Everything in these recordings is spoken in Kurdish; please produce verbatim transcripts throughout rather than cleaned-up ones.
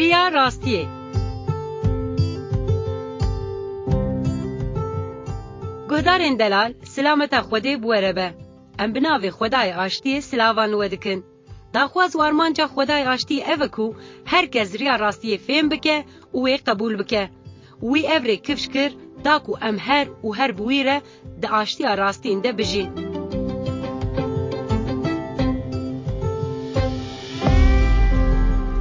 Riya rastiyê. Guhdarên delal, silameta Xwedê bi we re be. Em bi navê Xwedayê Aştiyê silavan li we dikin. Daxwaz û armanca Xwedayê Aştiyê ev e ku her kes riya rastiyê fêm bike û wê qebûl bike. Wî ev rê kifş kir, da ku em her û her bi wî re di aştiya rastîn de bijîn.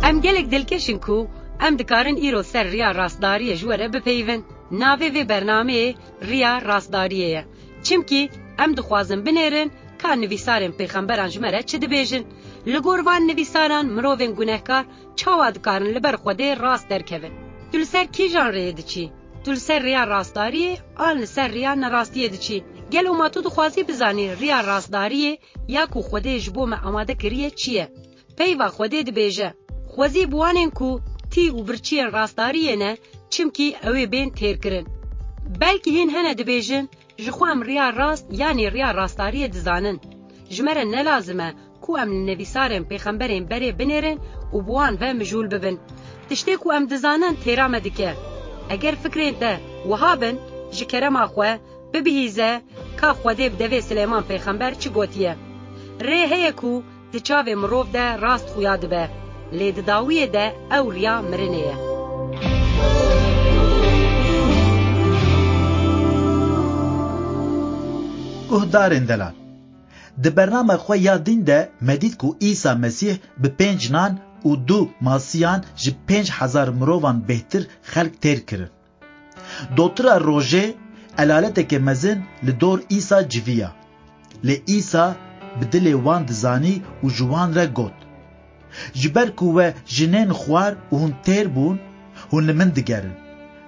Em gelek dilkeş in ku em dikarin îro ser riya rastdariyê ji we re bipeyivin. Navê vê bernameyê Riya Rastdariyê ye. Çimkî em dixwazin binêrin ka nivîsarên pêxemberan ji me re çi dibêjin. Li gor van nivîsaran mirovên gunehkar çawa dikarin li ber Xwedê rast derkevin? Tu li ser kîjan rêyê diçî? Tu li ser rêya rastdariyê an li ser rêya nerastiyê diçî? Gelo ma tu dixwazî bizanî rêya rastdariyê ya ku Xwedê ji bo me amade kiriye çi ye? Peyva Xwedê dibêje, Xwezî bi wanên ku tî û birçiyên rastdariyê ne, çimkî ew ê bên têrkirin. Belkî hîn hene dibêjin, Ji xwe em riya rast yanî riya rastdariyê dizanin. Ji me re ne lazim e ku em li nivîsarên pêxemberên berê binêrin û bi wan ve mijûl bibin. Tiştê ku em dizanin têra me dike. Eger fikrên te wiha bin, ji kerema xwe bibihîze ka Xwedê bi devê Silêman pêxember çi gotiye. Rê heye ku di çavê mirov de rast xuya dibe, lê di dawiyê de ew riya mirinê ye. Guhdarên delal, di bername xwe ya dîn de me dît ku Îsa Mesîh bi pênc nan û du masiyan ji pênc hezar mirovan bêhtir xelk têr kirin. Dotira rojê elaleteke mezin li dor Îsa civiya. Lê Îsa bi dilê wan dizanî û ji wan re got, Ji ber ku we jinên xwar û hûn têr bûn, hûn li min digerin.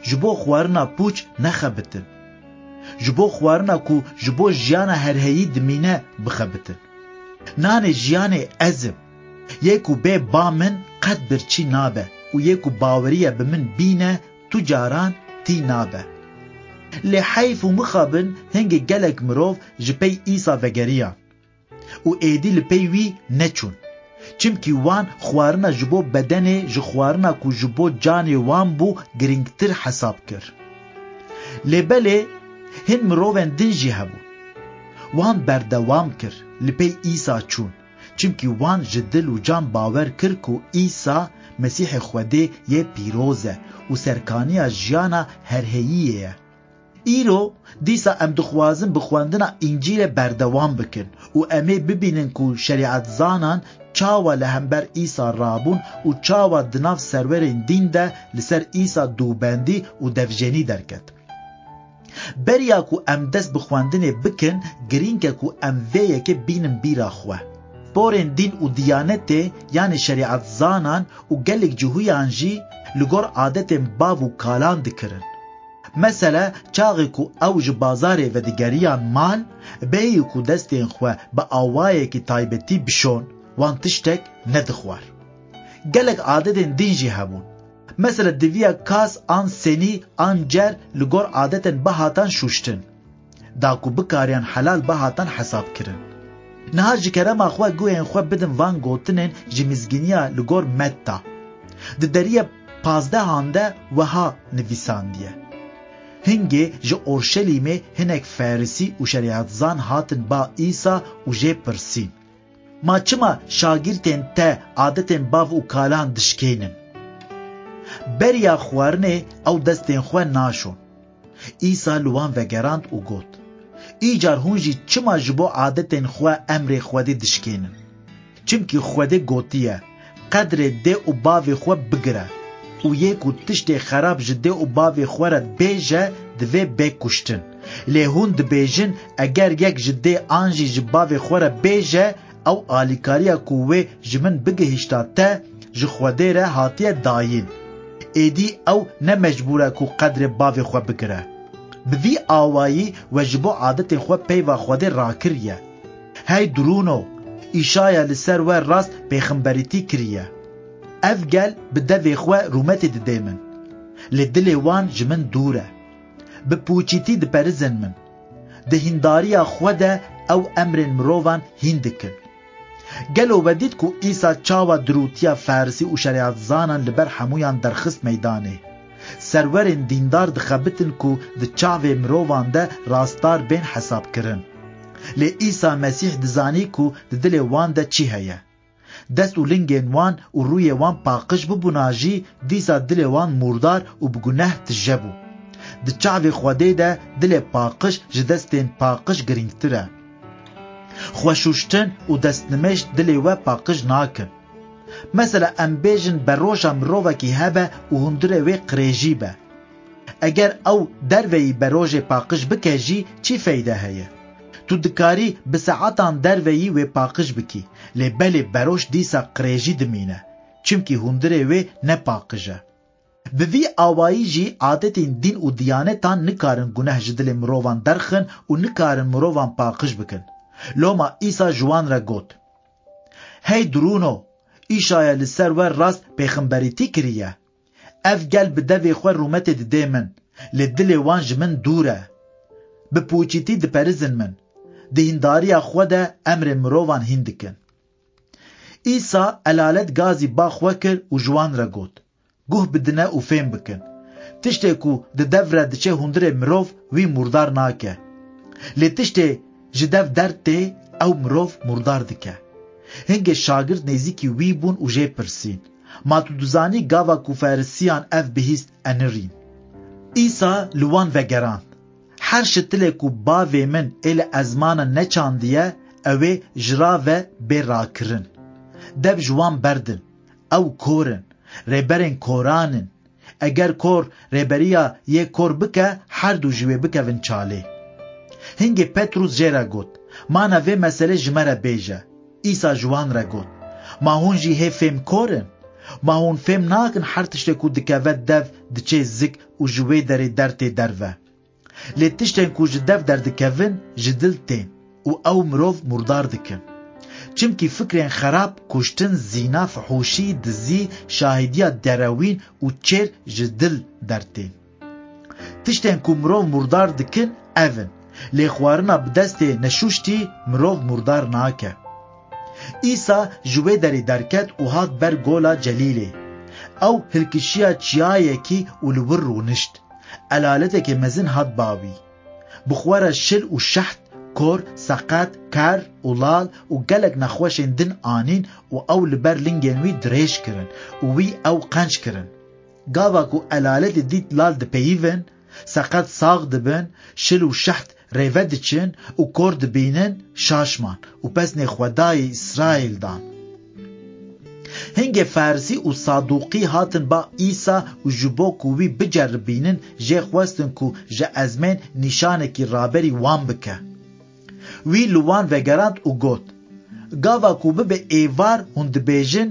Ji bo xwarina pûç nexebitin. Ji bo xwarina ku ji bo jiyana herheyî dimîne bixebitin. Nanê jiyanê ez im. Yê ku bê ba min qet birçî nabe û yê ku baweriye bi min bîne tu caran tî nabe. Lê heyf û mixabin hingê gelek mirov ji pey Îsa vegeriyan û êdî li pey wî neçûn. Çimkî wan xwarina ji bo bedenê ji xwarina ku ji bo canê wan bû girîngtir hesab kir. Lê belê hin mirovên din jî hebûn. Wan berdewam kir, li pey Îsa çûn. Çimkî wan ji dil û can bawer kir ku Îsa Mesîhê Xwedê yê pîroz e û serkaniya jiyana herheyiyê ye. Îro dîsa em dixwazin bi xwendina Încîlê berdewam bikin û em ê bibînin ku şerîetzanan çawa li hember Îsa rabûn û çawa di nav serwerên dîn de li ser Îsa dûbendî û devjenî derket. Beriya ku em dest bi xwendinê bikin, girîng e ku em vê yekê bînin bîra xwe. Porên dîn û diyanetê, yanî şerîetzanan û gelek cihûyan jî li gor adetên bav û kalan dikirin. Mesele, çaxê ku ew ji bazarê vedigeriyan mal, bêyî ku destên xwe bi awayekî taybetî bişon, wan tiştek nedixwar. Gelek adetên din jî hebûn. Mesele, diviya kas an senî an cer li gor adetên bihatan şûştin, da ku bikariyan helal bihatan hesabkirin. Niha ji kerema xwe guhên xwe bidin van gotinên ji mizgîniya li gor Metta. Di deriyê pazdehan de wiha nivîsandiye: Hingê ji Orşelîmê hinek Farisî û şerîetzan hatin ba Îsa û jê pirsîn, Ma çima şagirtên te adetên bav û kalan dişkênin? Beriya xwarinê ew destên xwe naşon. Îsa li wan vegerand û got, Îcar hûn jî çima ji bo adetên xwe emrê Xwedê dişkênin? Çimkî Xwedê gotiye, Qedrê dê û bavê xwe bigire û yê ku tiştê xerab ji dê û bavê xwe re bêje, divê bê kuştin. Lê hûn dibêjin, Eger yek ji dê an jî ji bavê xwe re bêje, ew alîkariya ku wê ji min bigihişta te, ji Xwedê re hatiye dayîn. Êdî ew ne mecbûr e ku qedrê bavê xwe bigire. Bi vî awayî we ji bo adetên xwe peyva Xwedê rakiriye. Hey dirûno, Îşaya li ser we rast pêxemberîtî kiriye. Ev gel bi devê xwe rûmetê didê min. Lê dilê wan ji min dûr e. Bi pûçîtî diperizin min. Di hîndariya xwe de ew emrên mirovan hîn dikin. Gelo we dît ku Îsa çawa dirûtiya Farisî û şerîetzanan li ber hemûyan derxist meydanê? Serwerên dîndar dixebitin ku di çavê mirovan de rastdar bên hesabkirin. Lê Îsa Mesîh dizanî ku di dilê wan de çi heye. Dest û lingên wan û rûyê wan paqij bibûna jî, dîsa dilê wan mûrdar û bi guneh tije bû. Di çavê Xwedê de dilê paqij ji destên paqij girîngtir e. Xweşûştin û destnimêj dilê we paqij nakin. Mesela em bêjin beroja mirovekî hebe û hundirê wê qirêjî be. Eger ew derveyî berojê paqij bike jî çi feyde heye? Tu dikarî bi saetan derveyî wê paqij bikî, lê belê beroj dîsa qirêjî dimîne, çimkî hundirê wê ne paqij e. Bi vî awayî jî adetên dîn û diyanetan nikarin guneh ji dilê mirovan derxin û nikarin mirovan paqij bikin. Loma Îsa ji wan re got, "Hey dirûno, Îşaya li ser we rast pêxemberîtî kiriye. Ev gel bi devê xwe rûmetê didê min, lê dilê wan ji min dûr e. Bi pûçîtî diperizin min. Di hîndariya xwe de emrê mirovan hîn dikin." Îsa elalet gazî ba xwe kir û ji wan re got, "Guh bidine û fêm bikin. Tiştê ku di dev re diçe hundirê mirov wî mûrdar nake. Lê tiştê ji dev dertê ew mirov mûrdar dike." Hingê şagirt nêzîkî wî bûn û jê pirsîn, "Ma tu dizanî gava ku Ferisiyan ev bihîst enirîn?" Îsa li wan vegerand, "Her şitilê ku bavê min ê li ezmana neçandiye, ew ê ji ra ve bê rakirin. Dev ji wan berdin. Ew kor in, rêberên koran in. Eger kor rêberiya yê kor bike, her du ji wê bikevin çalê." Hingê Petrûs jê re got, "Ma na vê meselê ji me re bêje." Îsa ji wan re got, "Ma hûn jî hê fêmkor in? Ma hûn fêm nakin her tiştê ku dikeve dev diçê zik û ji wê derê dertê derve? Lê tiştên ku ji dev derdikevin, ji dil tên û ew mirov mûrdar dikin. Çimkî fikrên xerab, kuştin, zîna, fihûşî, dizî, şahîdiya derewîn û çêr ji dil dertên. Tiştên ku mirov mûrdar dikin, ev in. Lê xwarina bi destê neşûştî mirov mûrdar nake." Îsa ji wê derê derket û hat ber gola Celîlê. Ew hilkişiya çiyayekî û li wir rûnişt. Elaleteke mezin hat ba wî. Bi xwe re şil û şeht, kor, seqet, ker û lal û gelek nexweşên din anîn û ew li ber lingên wî dirêj kirin û wî ew qenc kirin. Gava ku elaletê dît lal dipeyivin, seqet sax dibin, şil û şeht rêve diçin û kor dibînin, şaş man û pesnê Xwedayê Îsraîl dan. Hingê Ferisî û Sadûqî hatin ba Îsa û ji bo ku wî biceribînin, jê xwestin ku ji ezmên nîşanekî raberî wan bike. Wî li wan vegerand û got, "Gava ku bibe êvar hûn dibêjin,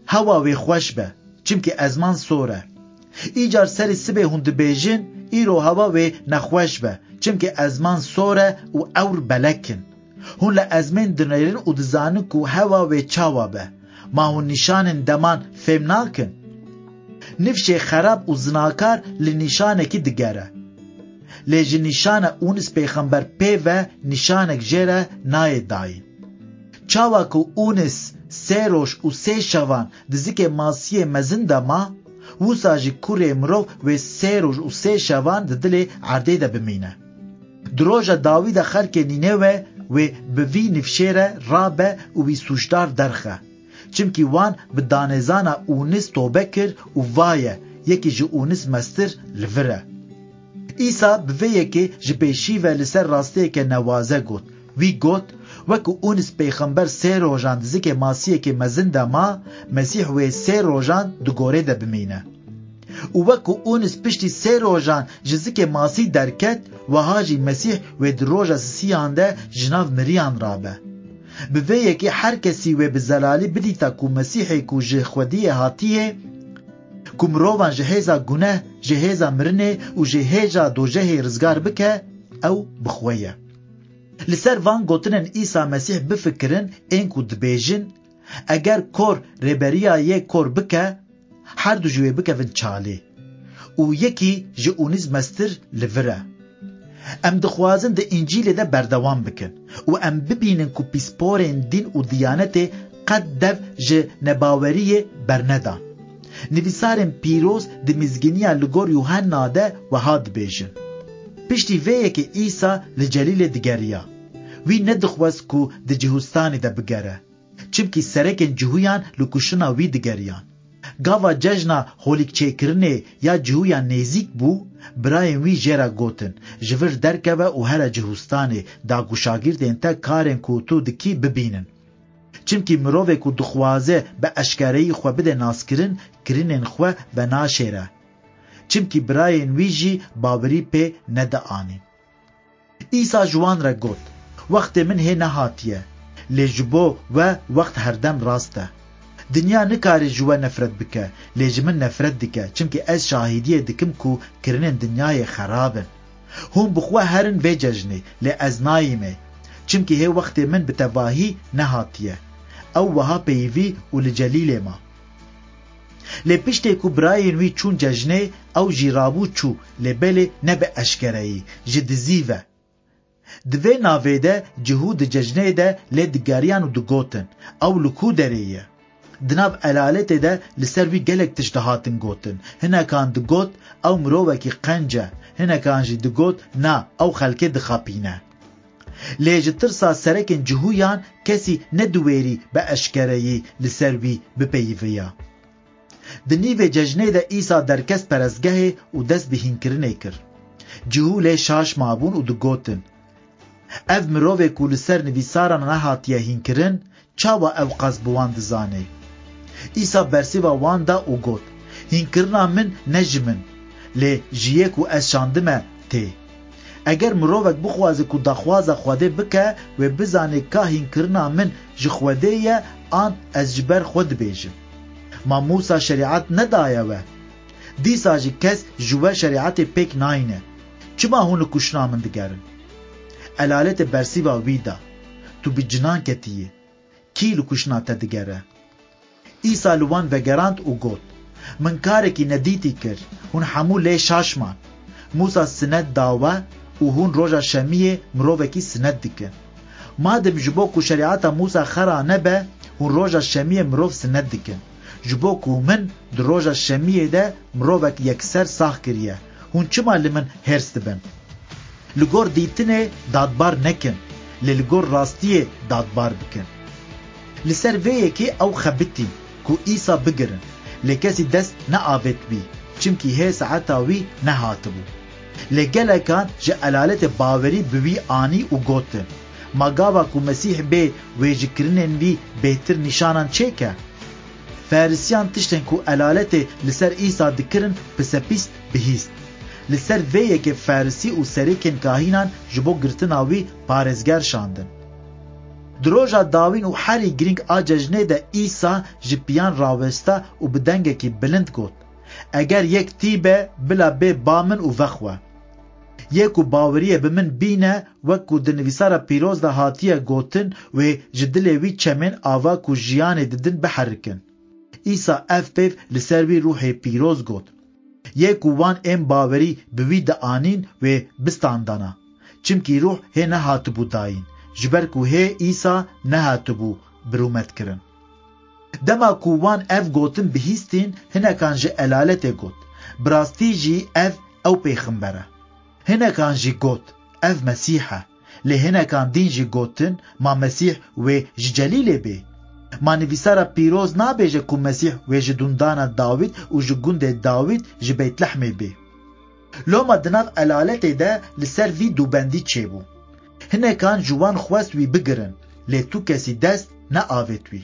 'Hewa wê xweş be, çimkî ezman sor e.' Îcar serê sibê hûn dibêjin, 'Îro hewa wê nexweş be, çimkî ezman sor e û ewr belek in.' Hûn li ezmên dinêrin û dizanin ku hewa wê çawa be. Ma hûn nîşanên deman fêm nakin? Nifşê xerab û zinakar li nîşanekî digere. Lê ji nîşana Ûnis pêxember pê ve nîşanek jê re nayê dayîn. Çawa ku Ûnis sê roj û sê şevan di zikê masiyê mezin de ma, wisa jî kurê mirov wê sê roj û sê şevan di dilê erdê de bimîne. Di roja dawî de xelkê Nînewe wê bi vî nifşê re rabe û wî sûcdar derxe. Çimkî wan bi danêzana Ûnis tobe kir û vaye, yekî ji Ûnis mestir li vir e. Îsa bi vê yekê ji pêşî ve li ser rastiyeke newaze got. Wî got, "Wek ku Ûnis pêxember sê rojan di zikê masiyekê mezin de ma, Mesîh wê sê rojan di gorê de bimîne." Û wek ku Ûnis piştî sê rojan ji zikê masî derket, wiha jî Mesîh wê di roja sisiyan de ji nav miriyan rabe. Bi vê yekê her kesî wê bi zelalî bidîta ku Mesîhê ku ji Xwediyê hatiye, ku mirovan ji hêza guneh, ji hêza mirinê û ji hêja dojehê rizgar bike, ew bi xwe ye. Li ser van gotinên Îsa Mesîh bifikirin, ên ku dibêjin, eger kor rêberiya yê kor bike, her du ji wê bikevin çalê û yekî ji Ûnis mestir li vir e. Em dixwazin di Încîlê de berdewam bikin û em bibînin ku pîsporên dîn û diyanetê qet dev ji nebaweriyê bernedan. Nivîsarên pîroz di mizgîniya li gor Yuhanna de wiha dibêjin: Piştî vê yekê Îsa li Celîlê digeriya. Wî nedixwest ku di Cihûstanê de bigere, çimkî serekên Cihûyan li kuştina wî digeriyan. Gava cejna holîkçêkirinê ya Cihûyan nêzîk bû, birayên wî jê re gotin, ji vir derkeve û here Cihûstanê, da ku şagirtên te karên ku tu dikî bibînin. Çimkî mirovê ku dixwaze bi eşkereyî xwe bide naskirin, kirinên xwe venaşêre. Çimkî birayên wî jî bawerî pê nedianîn. Îsa ji wan re got, Wextê min hê nehatiye, lê ji bo we wext herdem rast e. Dinya nikare ji we nefret bike, lê ji min nefret dike, çimkî ez şahidiyê dikim ku kirinên dinyayê xerab in. Hûn bi xwe herin vê cejnê, lê ez nayîmê, çimkî hê wextê min bi tevahî nehatiye. Ew wiha peyivî û li Celîlê ma. Lê piştê ku birayên wî çûn cejnê, ew jî rabû çû, lê belê ne bi eşkereyî, ji dizî ve. Di vê navê de Cihû di cejnê de lê digeriyan û digotin, Ew li ku derê ye? Di nav elaletê de li ser wî gelek tişt dihatin gotin. Hinekan digot, Ew mirovekî qenc e. Hinekan jî digot, Na, ew xelkê dixapîne. Lê ji tirsa serekên Cihûyan kesî nediwêrî bi eşkereyî li ser wî bipeyiviya. Di nîvê cejnê de Îsa derkest perestgehê û dest bi hînkirinê kir. Cihû lê şaş mabûn û digotin, Ev mirovê ku li ser nivîsaran nehatiye hînkirin, çawa ew qas bi wan dizane? Îsa bersiva wan da û got, Hînkirina min ne ji min, lê ji yê ku ez şandime tê. Eger mirovek bixwaze ku daxwaza Xwedê bike, wê bizane ka hînkirina min ji Xwedê ye an ez ji ber xwe dibêjim. Ma Mûsa şerîet nedaye we? Dîsa jî kes ji we şerîetê pêk nayîne. Çima hûn li kuştina min digerin? Elaletê bersiva wî da, Tu bi cinan ketiyî. Kî li kuştina te digere? Îsa li wan vegerand û got, Min karekî nedîtî kir, hûn hemû lê şaş man. Mûsa sinet da we û hûn roja şemiyê mirovekî sinet dikin. Madem ji bo ku şerîeta Mûsa xera nebe, hûn roja şemiyê mirov sinet dikin. Ji bo ku min di roja şemiyê de mirovek yekser sax kiriye, hûn çima li min hêrs dibin? Li gor dîtinê dadbar nekin, lê li gor rastiyê dadbar bikin. Li ser vê yekê ew xebitîn ku Îsa bigirin, lê kesî dest neavêt wî, çimkî hê saeta wî nehatibû. Lê gelekan ji elaletê bawerî bi wî anî û gotin, Ma gava ku Mesîh bê, wê ji kirinên wî bêhtir nîşanan çêke? Ferisiyan tiştên ku elaletê li ser Îsa dikirin pisepîs bihîst. Li ser vê yekê Ferisî û serêkên kahînan ji bo girtina wî parêzger şandin. Di roja dawîn û herî girîng a cejnê de Îsa ji piyan rawesta û bi dengekî bilind got, Eger yek tî be, bila bê ba min û vexwe. Yê ku baweriyê bi min bîne, wek ku di nivîsara pîroz de hatiye gotin, wê ji dilê wî çemên ava ku jiyanê didin biherikin. Îsa ev peyv li ser wî ruhê pîroz got. Yê ku wan ên bawerî bi wî dianîn, wê bistandana. Çimkî ruh hê nehatibû dayîn, ji ber ku hê Îsa nehatibû birûmet kirin. Dema ku wan ev gotin bihîstîn, hinekan ji elaletê got, Bi rastî jî ev ew pêxember e. Hinekan jî got, Ev Mesîh e. Lê hinekan dîn jî gotin, Ma Mesîh wê ji Celîlê bê? Ma nivîsara pîroz nabêje ku Mesîh wê ji dundana Dawîd û ji gundê Dawîd ji Beytlehmê bê? Loma di nav elaletê de li ser vî dûbendî çêbû. Hinekan ji wan xwest wî bigirin, lê tu kesî dest neavêt wî.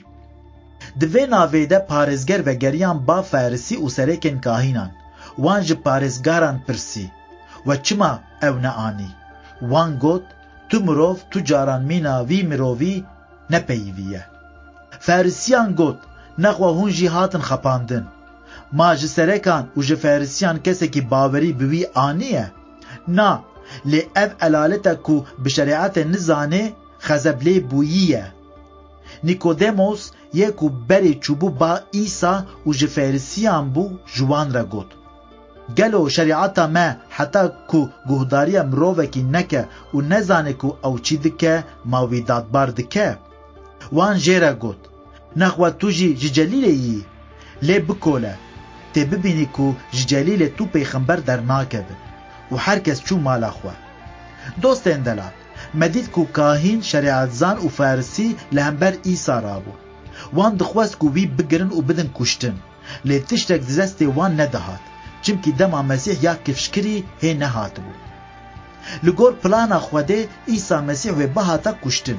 Di vê navê de parêzger vegeriyan ba Ferisî û serêkên kahînan. Wan ji parêzgaran pirsî, We çima ew neanî? Wan got, Tu mirov tu caran mîna vî mirovî nepeyivî ye. Ferisiyan got, Nexwe hûn jî hatin xapandin. Ma ji serekan û ji Ferisiyan kesekî bawerî bi wî aniye? Na, lê ev elalet e ku bi şerîetê nizane, xezeb lê bûyî ye. Nîkodemos, yê ku berê çûbû ba Îsa û ji Ferisiyan bû, ji wan re got, Gelo şerîeta me heta ku guhdariya mirovekî neke û nezane ku ew çi dike, ma wî dadbar dike? Wan jê re got, Nexwe tu jî ji Celîlê yî? Lê bikole, tê bibînî ku ji Celîlê tu pêxember dernakevin. Û her kes çû mala xwe. Dostên delal, me dît ku kahîn, şerîetzan û farisî li hember Îsa rabûn. Wan dixwest ku wî bigirin û bidin kuştin. Lê tiştek di destê wan nedihat, çimkî dema Mesîh ya kifşkirî hê nehatibû. Li gor plana Xwedê Îsa Mesîh wê bihata kuştin.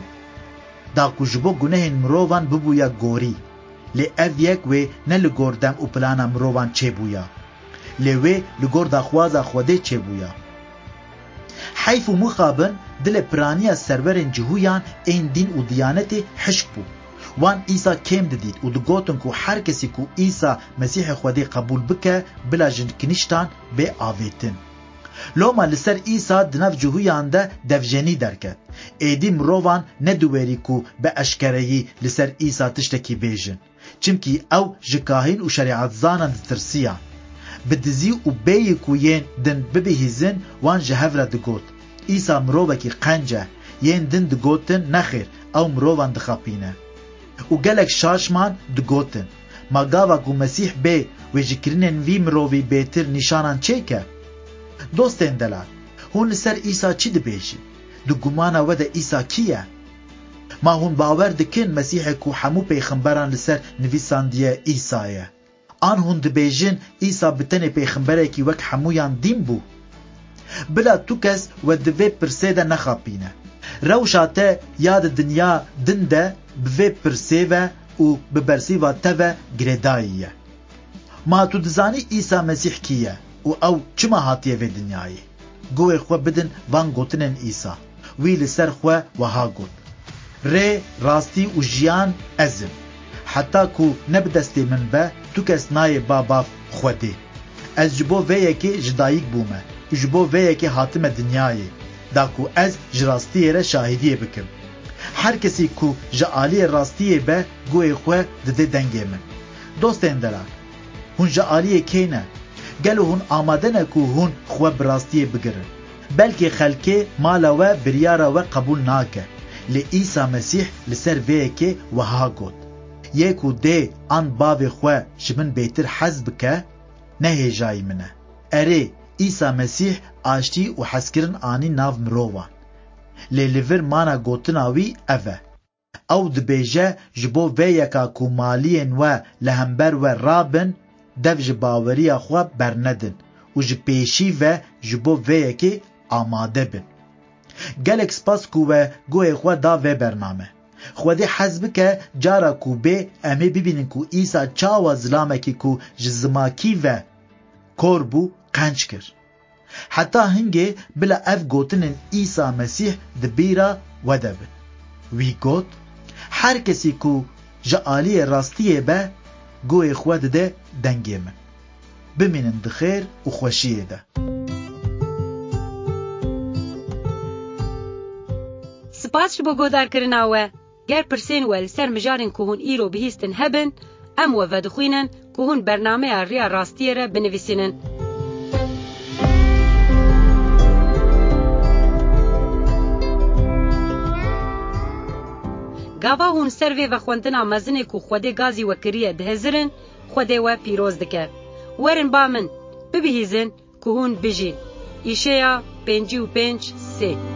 Da ku ji bo gunehên mirovan bibûya gorî. Lê ev yek wê ne li gor dem û plana mirovan çêbûya. Lê wê li gor daxwaza Xwedê çêbûya. Heyf û mixabin dilê piraniya serwerên Cihûyan ên dîn û diyanetê hişk bû. Wan Îsa kêm didît û digotin ku her kesî ku Îsa Mesîhê Xwedê qebûl bike, bila ji kinîştan bê avêtin. Loma li ser Îsa di nav Cihûyan de devjenî derket. Êdî mirovan nediwêrî ku bi eşkereyî li ser Îsa tiştekî bêjin. Çimkî ew ji kahîn û şerîetzanan ditirsiya. Bi dizî û bêyî ku yên din bibihîzin, wan ji hev re digot, Îsa mirovekî qenc e. Yên din digotin, Nexêr, ew mirovan dixapîne. Û gelek şaş man, digotin, Ma gava ku Mesîh bê, wê ji kirinên vî mirovî bêtir nîşanan çêke? Dostên delal, hûn li ser Îsa çi dibêjin? Di gumana we de Îsa kî ye? Ma hûn bawer dikin Mesîhê ku hemû pêxemberan li ser nivîsandiye Îsa ye? An hûn dibêjin Îsa bi tenê pêxemberekî wek hemûyan dîn bû? Bila tu kes we di vê pirsê de nexapîne. Rewşa te ya di dinya din de bi vê pirsê ve û bi bersîva te ve girêdayî ye. Ma tu dizanî Îsa Mesîh kî ye û ew çima hatiye vê dinyayê? Guhê xwe bidin van gotinên Îsa. Wî li ser xwe wiha got, Rê, rastî û jiyan ez im. Heta ku ne bi destê min be, tu kes nayê ba bav Xwedê. Ez ji bo vê yekê ji dayik bûme û ji bo vê yekê hatime dinyayê, da ku ez ji rastiyê re şahidiyê bikim. Her kesî ku ji aliyê rastiyê be, guhê xwe dide dengê min. Dostên delal, hûn ji aliyê kê ne? Gelo hûn amade ne ku hûn xwe bi rastiyê bigirin? Belkî xelkê mala we biryara we qebûl nake. Lê Îsa Mesîh li ser vê yekê wiha got, Yê ku dê an bavê xwe ji min bêtir hez bike, ne hêjayî min e. Erê, Îsa Mesîh aştî û hezkirin anî nav mirovan. Lê li vir mana gotina wî ev e. Ew dibêje, Ji bo vê yeka ku maliyên we li hember we rabin, dev ji baweriya xwe bernedin û ji pêşî ve ji bo vê yekê amade bin. Gelek spas ku we guhê xwe da vê bername. Xwedê hez bike, cara ku bê, em ê bibînin ku Îsa çawa zilamekî ku ji zimakî ve kor bû, qenc kir. Heta hingê bila ev gotinên Îsa Mesîh di bîra we de bin. Wî got, Her kesî ku ji aliyê rastiyê be, guhê xwe dide dengê min. Bimînin di xêr û xweşiyê de. Spas ji bo guhdarkirina we. Ger pirsên we li ser mijarên ku hûn îro bihîstin hebin, em we vedixwînin ku hûn bernameya Riya Rastiyê re binivîsînin. Gava hûn ser vê vexwendina mezinê ku Xwedê gazî we kiriye dihizirin, Xwedê we pîroz dike. Werin ba min, bibihîzin ku hûn bijîn. Îşeya pêncî û pênc sê.